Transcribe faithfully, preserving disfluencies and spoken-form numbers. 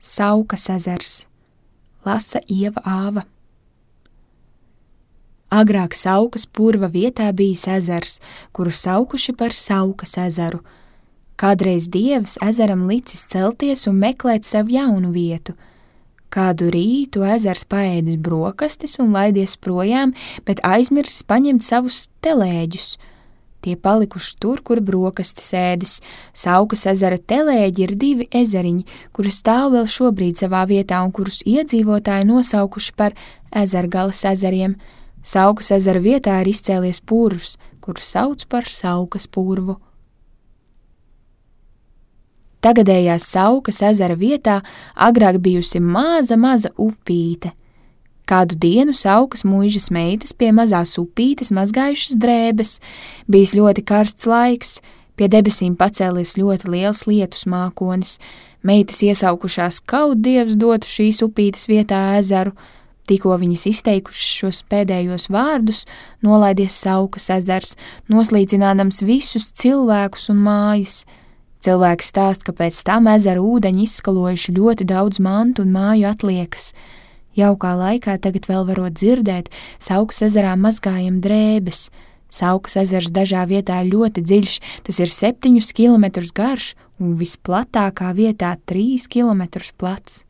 Saukas ezers, lasa Ieva Āva. Agrāk Saukas purva vietā bijis ezers, kuru saukuši par Saukas ezeru. Kādreiz dievs ezeram licis celties un meklēt sev jaunu vietu. Kādu rītu ezers paēdis brokastis un laidies projām, bet aizmirsis paņemt savus telēģus. Tie palikuši tur, kur brokastis ēdis. Saukas ezera telēģi ir divi ezeriņi, kuri stāv vēl šobrīd savā vietā un kurus iedzīvotāji nosaukuši par Ezergalas ezeriem. Saukas ezera vietā ir izcēlies purvs, kuru sauc par Saukas purvu. Tagadējās Saukas ezera vietā agrāk bijusi maza, maza upīte. Kādu dienu Saukas muižas meitas pie mazās upītes mazgājušas drēbes. Bijis ļoti karsts laiks, pie debesīm pacēlies ļoti liels lietus mākonis. Meitas iesaukušās, kaut dievs dotu šīs upītes vietā ezeru. Tikko viņas izteikušas šos pēdējos vārdus, nolaidies Saukas ezers, noslīcinādams visus cilvēkus un mājas. Cilvēki stāst, ka pēc tam ezera ūdeņi izskalojuši ļoti daudz mantu un māju atliekas. Jaukā laikā tagad vēl varot dzirdēt, Saukas ezerā mazgājam drēbes. Saukas ezers dažā vietā ļoti dziļš, tas ir septiņus kilometrus garš un visplatākā vietā trīs kilometrus plats.